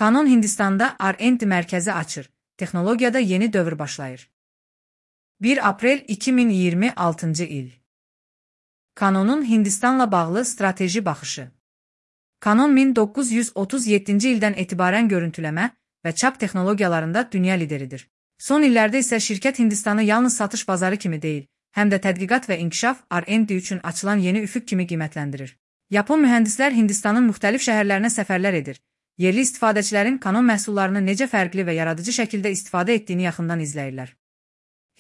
Canon Hindistanda R&D mərkəzi açır. Texnologiyada yeni dövr başlayır. 1 aprel 2026 il. Canonun Hindistanla bağlı strateji baxışı. Canon 1937-ci ildən etibarən görüntüləmə və çap texnologiyalarında dünya lideridir. Son illərdə isə şirkət Hindistanı yalnız satış bazarı kimi deyil, həm də tədqiqat və inkişaf R&D üçün açılan yeni üfüq kimi qiymətləndirir. Yapon mühəndislər Hindistanın müxtəlif şəhərlərinə səfərlər edir. Yerli istifadəçilərin Canon məhsullarını necə fərqli və yaradıcı şəkildə istifadə etdiyini yaxından izləyirlər.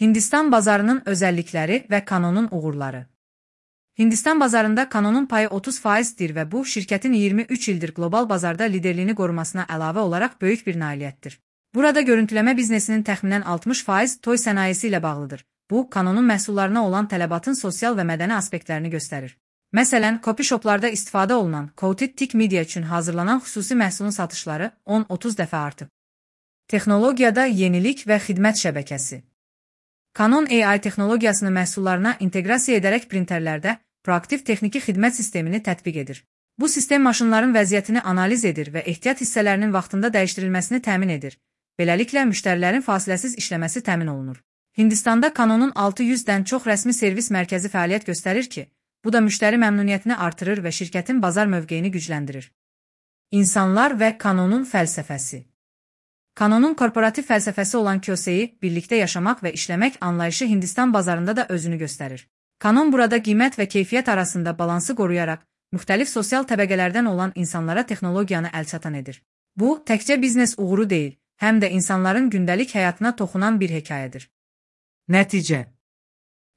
Hindistan bazarının özəllikləri və Canonun uğurları. Hindistan bazarında Canonun payı 30%dir və bu, şirkətin 23 ildir qlobal bazarda liderliyini qorumasına əlavə olaraq böyük bir nailiyyətdir. Burada görüntüləmə biznesinin təxminən 60% toy sənayesi ilə bağlıdır. Bu, Canonun məhsullarına olan tələbatın sosial və mədəni aspektlərini göstərir. Məsələn, copy shoplarda istifadə olunan Coated Thick Media üçün hazırlanan xüsusi məhsulun satışları 10-30 dəfə artıb. Texnologiyada yenilik və xidmət şəbəkəsi. Canon AI texnologiyasını məhsullarına inteqrasiya edərək printerlərdə proaktiv texniki xidmət sistemini tətbiq edir. Bu sistem maşınların vəziyyətini analiz edir və ehtiyat hissələrinin vaxtında dəyişdirilməsini təmin edir. Beləliklə, müştərilərin fasiləsiz işləməsi təmin olunur. Hindistanda Canonun 600-dən çox rəsmi servis mərkəzi fəaliyyət göstərir ki, bu da müştəri məmnuniyyətini artırır və şirkətin bazar mövqeyini gücləndirir. İnsanlar və Canonun fəlsəfəsi. Canonun korporativ fəlsəfəsi olan Kyoseyi, birlikdə yaşamaq və işləmək anlayışı Hindistan bazarında da özünü göstərir. Canon burada qiymət və keyfiyyət arasında balansı qoruyaraq, müxtəlif sosial təbəqələrdən olan insanlara texnologiyanı əlçatan edir. Bu, təkcə biznes uğuru deyil, həm də insanların gündəlik həyatına toxunan bir hekayədir. Nəticə.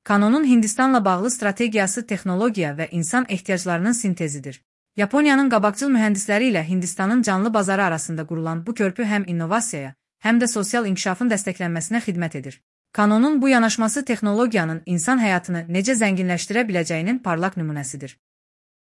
Canonun Hindistanla bağlı strategiyası texnologiya və insan ehtiyaclarının sintezidir. Yaponiyanın qabaqcıl mühəndisləri ilə Hindistanın canlı bazarı arasında qurulan bu körpü həm innovasiyaya, həm də sosial inkişafın dəstəklənməsinə xidmət edir. Canonun bu yanaşması texnologiyanın insan həyatını necə zənginləşdirə biləcəyinin parlaq nümunəsidir.